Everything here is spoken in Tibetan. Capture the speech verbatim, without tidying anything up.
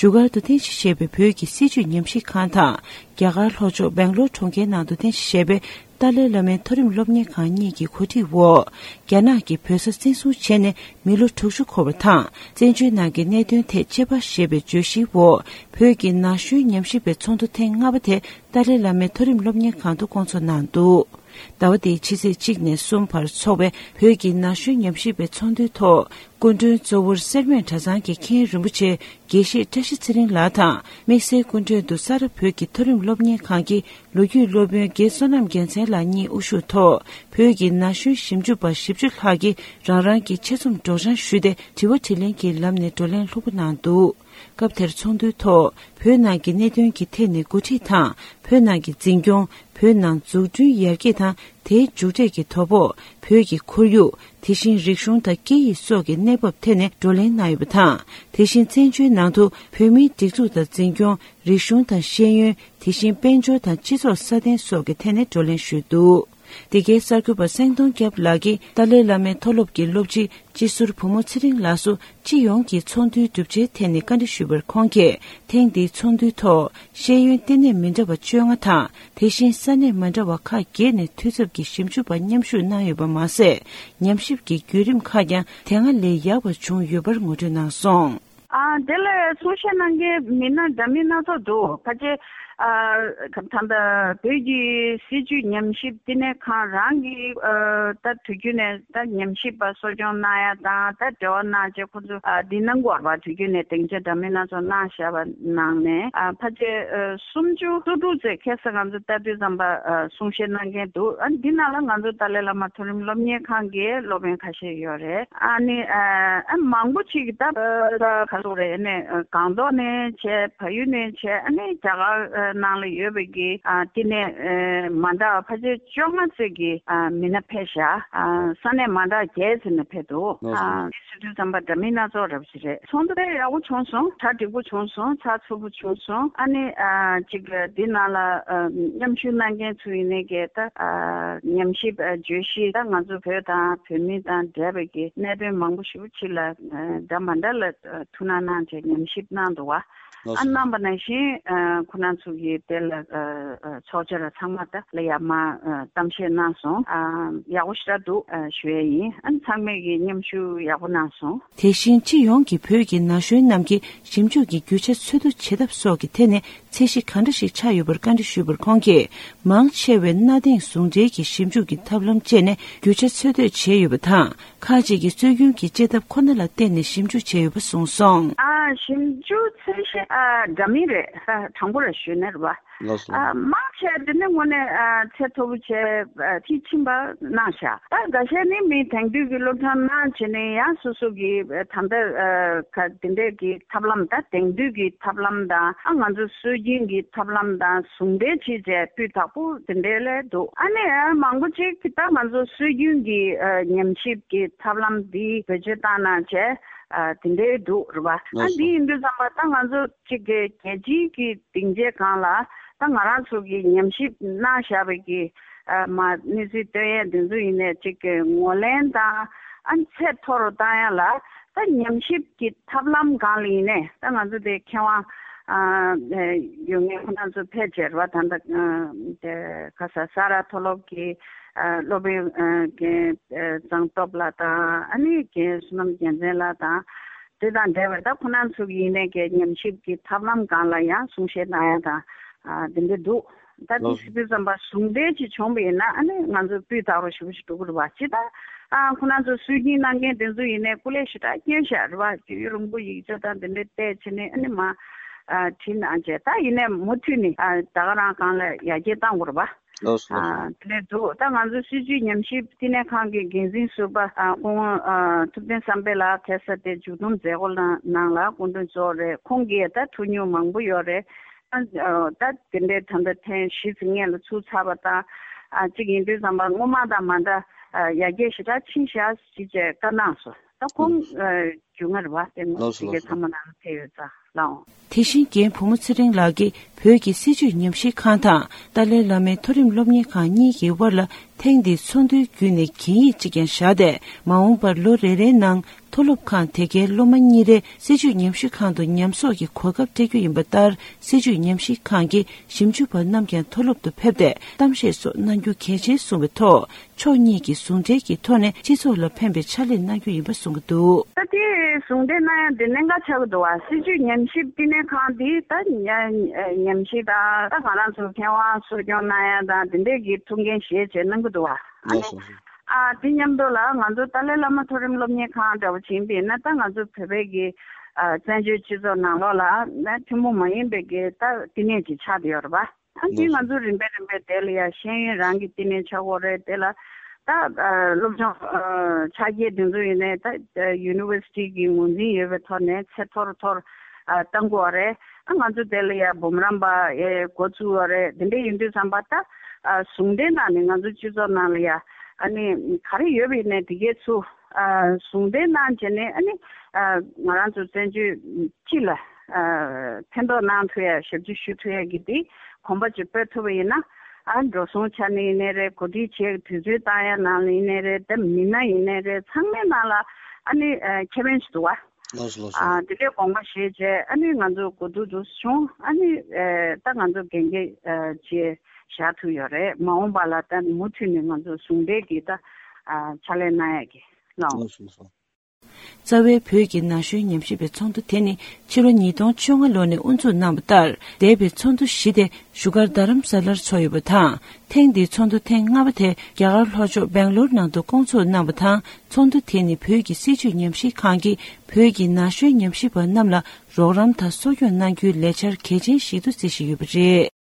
བཞུགས་སྒར་དུ་རྟེན་གཞི་བྱས་པའི་བོད་ཀྱི་སྲིད་བྱུས་ཉམས་ཞིབ་ཁང་དང་། རྒྱ་གར་ལྷོ་ཕྱོགས་སྦེང་ལོར་གྲོང་ཁྱེར་ནང་དུ་རྟེན་གཞི་བྱས་པའི་ཏཱ་ལའི་བླ་མའི་མཐོ་རིམ་སློབ་གཉེར་ཁང་གཉིས་ཀྱི་གོ་སྒྲིག་འོག་རྒྱ་ནག་གིས་བོད་ས་བཙན་བཟུང་བྱས་ནས་མི་ལོ་དྲུག་ཅུ་འཁོར་བ་དང་། བཙན་བྱོལ་ནང་གི་གནད་དོན་ཐད་དཔྱད་པ་ཞེས་པའི་བརྗོད་གཞིའི་འོག་བོད་ཀྱི་ན་གཞོན་ཉམས་ཞིབ་པའི་ཚོགས་འདུ་ཐེངས་ལྔ་པ་དེ་ཏཱ་ལའི་བླ་མའི་མཐོ་རིམ་སློབ་གཉེར་ཁང་དུ་བསྐོང་ཚོགས་གནང་འདུག་ཟླ་བ་འདིའི་ཕྱི་ཚེས་གཅིག་ནས་གསུམ་བར་འཚོགས་པའི་བོད་ཀྱི་ན་གཞོན་ཉམས་ཞིབ་པའི་ཚོགས་འདུའི་ཐོག་སྐུ་མགྲོན་གཙོ་བོར་སེར་སྨད་གྲྭ་ཚང་གི་མཁན་རིན་པོ་ཆེ་དགེ་བཤེས་བཀྲ་ཤིས་ཚེ་རིང་ལགས་དང་། དམིགས་བསལ་སྐུ་མགྲོན་དུ་ས་རཱ་བོད་ཀྱི་མཐོ་རིམ་སློབ་གཉེར་ཁང་གི་ལོ་རྒྱུས་སློབ་དཔོན་རྒན་བསོད་ནམས་རྒྱལ་མཚན་ལགས་གཉིས་དབུ་བཞུགས་ཐོག་བོད་ཀྱི་ན་གཞོན་ཞིབ་འཇུག་པ་བཞི་བཅུ་ལྷག་གིས་རང་རང་གི་ཆེད་རྩོམ་སྒྲོག་སྦྱང་ཞུས་ཏེ། དྲི་བ་དྲིས་ལན་གྱི་ལམ་ནས་བགྲོ་གླེང་ལྷུག་པོ་གནང་འདུག་སྐབས་དེར་ཚོགས་འདུའི་ཐོག་བོད་ནང་གི་གནད་དོན་གྱི་ཐད་ནས་འགོ་ཁྲིད་དང་། བོད་ནང་གི་འཛིན་སྐྱོང་། བོད་ནང་འཛུགས་སྐྲུན་ཡར་རྒྱས་དང་། དེའི་མཇུག་འབྲས་ཀྱི་དོ་ཕོག་བོད་ཀྱི་ཁོར་ཡུག་དེ་བཞིན་རིག་གཞུང་དང་སྐད་ཡིག་སོགས་ཀྱི་གནས་བབ་ཐད་ནས་བགྲོ་གླེང་གནང་ཡོད་པ་དང་། དེ་བཞིན་བཙན་བྱོལ་ནང་དུ་བོད་མིའི་སྒྲིག་འཛུགས་དང་། འཛིན་སྐྱོང་། རིག་གཞུང་དང་། ཤེས་ཡོན། དེ་བཞིན་དཔལ་འབྱོར་དང་། སྤྱི་ཚོགས་སྲ་བརྟན་སོགས་ཀྱི་ཐད་ནས་བགྲོ་གླེང་ཞུས་འདུག་འདི་གའི་གསར་འགོད་པ་སེང་གདོང་སྐྱབས་ལགས་ཀྱིས་ཏཱ་ལའི་བླ་མའི་མཐོ་སློབ་ཀྱི་སློབ་སྤྱི་སྤྱི་ཟུར་བུ་མོ་ཚེ་རིང་ལགས་སུ་སྤྱི་ཡོངས་ཀྱི་ཚོགས་འདུའི་གྲུབ་ཆའི་ཐད་ནས་བཀའ་འདྲི་ཞུས་པར། ཁོང་གིས་ཐེངས་འདིའི་ཚོགས་འདུའི་ཐོག་ཤེས་ཡོན་ལྟེ་གནས་མི་འདྲ་བ་བཅོ་ལྔ་དང་། དེ་བཞིན་ས་གནས་མ་འདྲ་བ་ཁག་བརྒྱད་ནས་འཐུས་ཚབ་ཀྱི་ཞིབ་འཇུག་པ་མཉམ་ཞུགས་གནང་ཡོད་པ་མ་ཟད། ཉམས་ཞིབ་ཀྱི་བརྒྱུད་རིམ་ཁག་ཀྱང་དེ་སྔ་ལས་ཡག་པ་བྱུང་ཡོད་པར་ངོ་སྤྲོད་གནང་སོང་། ཨ། དེ་ལ་གསུང་བཤད་གནང་མཁན་མི་སྣ་འདྲ་མིན་སྣ་ཚོགས་འདུག་ཕལ་ཆེར། ཨ། ད་ལྟ་བོད་ཀྱི་སྲིད་བྱུས་ཉམས་ཞིབ་བསྟི་གནས་ཁང་རང་གི། ཨ། ད་དུས་རྒྱུན་ནས་ད་ཉམས་ཞིབ་པ་གསོ་སྐྱོང་གནང་ཡ་དང་། ད་འབྲེལ་བ་གནང་བྱས་ཁོ་ཚོ། ཨ། འདི་གནང་དགོས་པ་དུས་རྒྱུན་ནས་སྡིངས་ཆ་འདྲ་མིན་སྣ་ཚོགས་གནང་བཞག་པ་ནང་ནས། ཨ། ཕལ་ཆེར། ཨ། སུམ་ཅུ་སོ་དྲུག་ཙམ། ཁ་སང་ང་ཚོ་ལྟ་དུས་ཙམ་པ། ཨ། གསུང་བཤད་གནང་མཁན་འདུག་ཨ། འདི་ནང་ལ་ང་ཚོ་ཏཱ་ལའི་བླ་མ་མཐོ་རིམ་སློབ་གཉེར་ཁང་གི་སློབ་དཔོན་ཁ་ཤས་ཡོད་རེད། ཨ་ནི། ཨ། ཨ། མང་པོ་ཅིག་གིས་ད། ཨ། ག་རེ་ཟེར་དགོས་རེད། ཨ་ནི། ཨ། སྒང་ཏོག་ནས་བྱས། བལ་ཡུལ་ནས་བྱས། ཨ་ནི་རྒྱ་གར། ཨ། ནང་ལ་ཡོད་པའི་གི། ཨ། བསྟི་གནས། ཨ། མ་འདྲ་བ་ཕལ་ཆེར་བཅོ་ལྔ་ཙམ་གྱི། ཨ། མི་སྣ་ཕེབས་ཤག་ཨ། ས་གནས་མ་འདྲ་བརྒྱད་ཙམ་ནས་ཕེབས་འདུག་ཨ། འདི་ཟེར་དུས་ཙམ་པ་འདྲ་མིན་སྣ་ཚོགས་རབ་ཞིག་རེད། ཚོགས་འདུ་དཔེ་ཡག་པོ་བྱུང་སོང་། གྲ་འགྲིག་པོ་བྱུང་སོང་། ཚགས་ཚུད་པོ་བྱུང་སོང་། ཨ་ནི། ཨ། ཅིག་འདི་ནང་ལ། ཨ། མཉམ་ཞུགས་གནང་མཁན་ཚོ་ཡིན་ནའི་གི་ད། ཨ། ཉམས་ཞིབ། ཨ། བརྗོད་གཞི་ད་ང་ཚོ་བོད་དང་བོད་མི་དང་འབྲེལ་བའི་གི་གནད་དོན་མང་པོ་ཞེ་པོ་ཅིག་ལ། ཨ། འདྲ་མ་འདྲ་ལ། ཨ། ཐུགས་སྣང་གནང་བྱས་ཉམས་ཞིབ་གནང་འདུག་བ། ལགས་ཨ། སོ། གནང་པ་ནང་བཞིན། ཨ། ཁོ་རང་ཚོ་གིས་དེ་ལ། ཨ། ཨ། ཚོགས་བཅར་ཚང་མ་ད་ལ་ཡར་མར། ཨ། གཏམ་བཤད་གནང་སོང་། ཨ། ཡག་པོ་ཞེ་དྲག་འདུག་ཨ། ཞུ་ཡས་ཡིན། ཨ་ནི་ཚང་མས་ཀྱིས་མཉམ་ཞུགས་ཡག་པོ་གནང་སོང་། དེ་བཞིན་སྤྱི་ཡོངས་ཀྱི་བོད་ཀྱི་ན་གཞོན་རྣམས་ཀྱིས་ཞིབ་འཇུག་གི་རྒྱུ་ཆ་འཚོལ་བསྡུ་བྱེད་ཐབས་སོགས་ཀྱི་ཐད་ནས་ཚད་གཞི་གང་འདྲ་ཞིག་ཆགས་ཡོད་པར་བཀའ་འདྲི་ཞུས་པར། ཁོང་གིས། མང་ཆེ་བས་གནའ་དེང་ཟུང་འབྲེལ་གྱི་ཞིབ་འཇུག་གི་ཐབས་ལམ་སྤྱད་ནས་རྒྱུ་ཆ་འཚོལ་བསྡུ་བྱས་ཡོད་པ་དང་། ཁག་ཅིག་གིས་སྲོལ་རྒྱུན་གྱི་དཔྱད་ཐབས་ཁོ་ན་ལ་བརྟེན་ནས་ཞིབ་འཇུག་བྱས་ཡོད་པ་གསུངས་སོང་། ཨ། ཞིབ་འཇུག་ཚད་གཞི། ཨ། འདྲ་མིན་རེད། ཨ། དྲང་པོ་ར་ཞུས་ན་རེད་བ། ལགས་སོ། ཨ། མང་ཆེ་དེ་ནི་དངོས་གནས། ཨ། ཚད་མཐོ་པོ་བྱས། ཨ། མཐིལ་ཕྱིན་པ་གནང་ཤག་ད་འགའ་ཤས་ནི་མི་དེང་དུས་ཀྱི་སློབ་སྦྱོང་གནང་བྱས་ནས་ཡང་སོ་སོ་གི། ཨ། ད་ལྟ། ཨ། ག་དེ་འདྲས་ཀྱི་ཐབས་ལམ། ད་དེང་དུས་ཀྱི་ཐབས་ལམ་དང་། ཨ། ང་ཚོ་སྲོལ་རྒྱུན་གྱི་ཐབས་ལམ་དང་ཟུང་འབྲེལ་བྱས་བྱས་སྤུས་དག་པོ་དེ་འདྲས་ལས་འདུག་ཨ་ནི། ཨ། མང་པོ་ཅིག་གིས་ད་ང་ཚོ་སྲོལ་རྒྱུན་གྱི། ཨ། ཉམས་ཞིབ་ཀྱི་ཐབས་ལམ་འདི་བེད་སྤྱོད་བཏང་གནང་བྱས། ཨ། དེ་འདྲས་འདུག་རེད་བ། ཨ། ལགས་སོ། འདི་ཡིན་དུས་ཙམ་པ་ད་ང་ཚོ་གཅིག་གི་རྒྱལ་སྤྱིའི་གི་སྡིངས་ཆའི་སྒང་ལ་ད་ང་རང་ཚོ་གི་ཉམས་ཞིབ་གནང་བཞག་པའི་གི། ཨ། མ་གནས་ཚུལ་སྟོན་ཡས་འདི་ཚོ་ཡིན་ནའི་གཅིག་གི་ངོས་ལེན་དང་། ཨ། ཚད་མཐོ་རུ་བཏང་ཡ་ལ་ད་ཉམས་ཞིབ་ཀྱི་ཐབས་ལམ་སྒང་ལ་ཡིན་ནའི་ད་ང་ཚོ་དེ་མཁས་དབང་། ཨ། ཡོད་མཁན་ཁོ་རང་ཚོ་ཕལ་ཆེར་བ་ད་ལྟ། ཨ། དེ་ག་ས་ས་རཱ་མཐོ་སློབ་ཀྱི། ཨ། སློབ་དཔོན། ཨ། རྒན། ཨ། གཙང་སྟོབས་ལགས་དང་། ཨ་ནི་རྒན་བསོད་ནམས་རྒྱལ་མཚན་ལགས་དང་། དེ་དང་འབྲེལ་བའི་ད་ཁོ་རང་ཚོ་གི་ཡིན་ནའི་གི་ཉམས་ཞིབ་ཀྱི་ཐབས་ལམ་སྒང་ལ་ཡང་གསུང་བཤད་གནང་ཡ་དང་། ཨ། དེ་འདྲ་འདུག་ད་དེ་ལགས་སོ། ཟེར་དུས་ཙམ་པ་ཟུང་འབྲེལ་ཅིག་བྱུང་བ་ཡིན་ན། ཨ་ནི་ང་ཚོ་སྤུས་དག་རུ་ཞེ་པོ་ཞིག་འགྲོ་གི་རེད་བ། ཅི་ད། ཨ། ཁོ་རང་ཚོ་སྲོལ་རྒྱུན་གནང་མཁན་དེ་ཚོ་ཡིན་ནའི་སྐུ་ལས་ཞེ་དྲག་བསྐྱོན་བཞག་རེད་བ། རྒྱུས་ཡོད་རིང་པོ་ཡིག་ཆ་དང་དེ་འདྲ་བལྟས་བྱས་ནས། ཨ་ནི་མ། ཨ། བྲིས་གནང་བྱས། ད་ཡིན་ནའི་མུ་མཐུད་ནས། ཨ། ད་ག་རང་སྒང་ལ་ཡར་རྒྱས་གཏང་དགོས་རེད་བ། ལགས་སོ། ཨ། དེ་འདྲ་འདུག་ད་ང་ཚོ་སྲིད་བྱུས་ཉམས་ཞིབ་བསྟི་གནས་ཁང་གི་འགན་འཛིན་ཟུར་པ། ཨ། སྐུ་ངོ། ཨ། ཐུབ་བསྟན་བསམ་འཕེལ་ལགས་ཁ་སང་དེ་མཇུག་བསྡོམས་མཛད་སྒོ་ནང་ལ་སྐུ་མགྲོན་གཙོ་བོ་རེད། ཁོང་གིས་ད་ཐུགས་མྱོང་མང་པོ་ཡོད་རེད། ཨ། ད་དེ་འདྲའི་ད་ལྟ་ཐེངས་བཞི་ཙམ་སྔོན་ལ་ཚུགས་ཚར་བ་དང་། ཨ། གཅིག་ཡིན་དུས་ཙམ་པ་སྔོན་མ་དང་མ་འདྲ། ཨ། ཡར་རྒྱས་ཞེ་དྲག་ཕྱིན་ཤག་ཅེས་བཀའ་གནང་སོང་། ད་ཁོང་། ཨ། རྒྱུས་མངའ་རེད་བ། དེ་ངོ་། ལགས་སོ། དེ་གའི། ལགས་སོ། ཚང་མ་ནང་ལ་ཕེབས་ཡོད་ཙང་ལགས། དེ་བཞིན་རྒན་བུ་མོ་ཚེ་རིང་ལགས་ཀྱིས་བོད་ཀྱི་སྲིད་བྱུས་ཉམས་ཞིབ་ཁང་དང་ཏཱ་ལའི་བླ་མའི་མཐོ་རིམ་སློབ་གཉེར་ཁང་གཉིས་ཀྱི་དབར་ལ་ཐེངས་འདིའི་ཚོགས་འདུའི་བརྒྱུད་ནས་གན་ཡིག་ཅིག་ཀྱང་བཞག་སྟེ། མ་འོངས་པར་ལོ་རེ་རེའི་ནང་མཐོ་སློབ་ཁང་དེ་གའི་སློབ་མ་གཉིས་རེ་སྲིད་བྱུས་ཉམས་ཞིབ་ཁང་དུ་ཉམས་གསོག་གི་གོ་སྐབས་སྤྲད་རྒྱུ་ཡིན་པ་ལྟར། སྲིད་བྱུས་ཉམས་ཞིབ་ཁང་གི་ཞིབ་འཇུག་པ་རྣམས་ཀྱང་མཐོ་སློབ་ཏུ་ཕེབས་ཏེ་གཏམ་བཤད་སོགས་གནང་རྒྱུ་གལ་ཆེན་གསུངས་པའི་ཐོག་ཕྱོགས་གཉིས་ཀྱིས་ཟུང་འབྲེལ་གྱི་ཐོག་ནས་སྤྱི་ཚོགས་ལ་ཕན་པའི་ཕྱག་ལས་གནང་རྒྱུ་ཡིན་པ་གསུངས་ཀྱི་འདུག། ད་དེ་ཟུང་འབྲེལ་གནང་ཡ་འདི་གནད་འགག་ཆགས་ཀྱི་འདུག་བ། སྲིད་བྱུས་ཉམས་ཞིབ་བསྟི་གནས་ཁང་འདི་ད་ཉ- ཉམས་ཞིབ་དང་ད་ང་རང་ཚོ་མཁས་དབང་གསོ་སྐྱོང་གནང་ཡ་དང་དེ་འདྲས་ཀྱི་ཐུགས་འགན་བཞེས་བྱས་གནང་གི་འདུག་བ། ཨ་ནི་ལགས་སོ། ཨ་དེ་མཉམ་དུ་ལ་ང་ཚོ་ཏཱ་ལའི་བླ་མ་མཐོ་རིམ་སློབ་གཉེར་ཁང་འདྲ་བོ་ཅིག་ཡིན་པས་ན། ད་ང་ཚོ་བོད་པའི་གི་ཨ་བཙན་བྱོལ་སྤྱི་ཚོགས་ནང་ལོགས་ལ་ན་ཐུན་མོང་མ་ཡིན་པའི་གི་ད་བསྟི་གནས་ཅིག་ཆགས་བསྡད་ཡོད་རེད་པ། ཨ་དེ་ལགས་སོ། ང་ཚོ་རིམ་པས་རིམ་པས་དེ་ལ་ཡ་ཤེས་ཡོན་རང་གི་བསྟི་གནས་ཆགས་ཀྱི་ཡོད་རེད། དེ་ལ་ད་ཨ་སློབ་སྦྱོང་ཨ་ཕྱག་རྒྱའི་དེ་ཚོ་ཡིན་ནའི་ད་ཨ་ཡུ་ནི་ཝར་སི་ཊི་གི་ངོས་འཛིན་ཡོད་པའི་ཐོག་ནས་ཚད་མཐོར་མཐོར་ཨ་བཏང་གི་ཡོད་རེད། ཨ་ང་ཚོ་དེ་ལ་ཡ་འབུམ་རམས་པ་ཨེ་འགོ་བཙུགས་ཡོད་རེད། དེ་འདྲ་ཡིན་དུས་ཙམ་པ་ད་ཨ་ཟུང་འབྲེལ་ནང་ནས་ང་ཚོ་སྤྱི་ཚོགས་ནང་ལ་ཡ་ཨ་ནི་ག་རེ་ཡོད་པ་ཡིན་ནའི་དེ་གས་ཚུར་ཨ་ཟུང་འབྲེལ་གནང་བྱས་ནས་ཨ་ནི་ཨ་ང་རང་ཚོ་བཙན་བྱོལ་སྤྱི་ལ་ཨ་ཕན་ཐོགས་གནང་ཐུབ་ཡ་ཞབས་ཕྱི་ཞུ་ཐུབ་ཡ་གི་དེ་གོམ་པ་ཅིག་སྤོས་ཐུབ་པ་ཡིན་ན། ཨ་འགྲོ་སོང་ཆ་ནས་ཡིན་ནའི་རེད། གོ་སྒྲིག་བྱེད་དུས་ཚོད་བཏང་ཡ་ནང་ལ་ཡིན་ནའི་རེད། དེ་མི་སྣ་ཡིན་ནའི་རེད། ཚང་མའི་ནང་ལ་ཨ་ནི་ཨ་ཁེ་ཕན་ཞིག་འདུག་བ། ལགས་སོ་ལགས་སོ། ཨ་དེ་འདྲའི་དགོངས་པ་བཞེས་བྱས་ཨ་ནི་ང་ཚོ་གོ་བསྡུར་འདུག་བྱུང་། ཨ་ནི་ཨ་ད་ང་ཚོ་གན་རྒྱ་ཨ་བྱས་བཞག་ཐུབ་ཡོད་རེད། མ་འོངས་པ་ལ་ད་མུ་མཐུད་ནས་ང་ཚོ་ཟུང་འབྲེལ་གྱིས་ད་ཨ་ཕྱག་ལས་གནང་ཡ་གི་ལགས། ལགས་སོ་ལགས་སོ། རྩ་བའི་བོད་ཀྱི་ན་གཞོན་ཉམས་ཞིབ་པའི་ཚོགས་འདུ་དེ་ནི་ཕྱི་ལོ་ཉིས་སྟོང་བཅོ་ལྔ་ལོ་ནས་དབུ་འཛུགས་གནང་བ་ལྟར། འདས་པའི་ཚོགས་འདུ་བཞི་དེ་བཞུགས་སྒར་རྡ་རམ་ས་ལར་ཚོགས་ཡོད་པ་དང་། ཐེངས་འདིའི་ཚོགས་འདུ་ཐེངས་ལྔ་པ་དེ་རྒྱ་གར་ལྷོ་ཕྱོགས་སྦེང་ལོར་ནང་དུ་སྐོང་ཚོགས་གནང་བ་དང་། ཚོགས་འདུ་དེ་ནི་བོད་ཀྱི་སྲིད་བྱུས་ཉམས་ཞིབ་ཁང་གིས་བོད་ཀྱི་ན་གཞོན་ཉམས་ཞིབ་པ་རྣམས་ལ་རོགས་རམ་དང་གསོ་སྐྱོང་གནང་རྒྱུའི་ལས་འཆར་གལ་ཆེན་ཞིག་ཏུ་བརྩི་བཞིན་ཡོད་པ་རེད།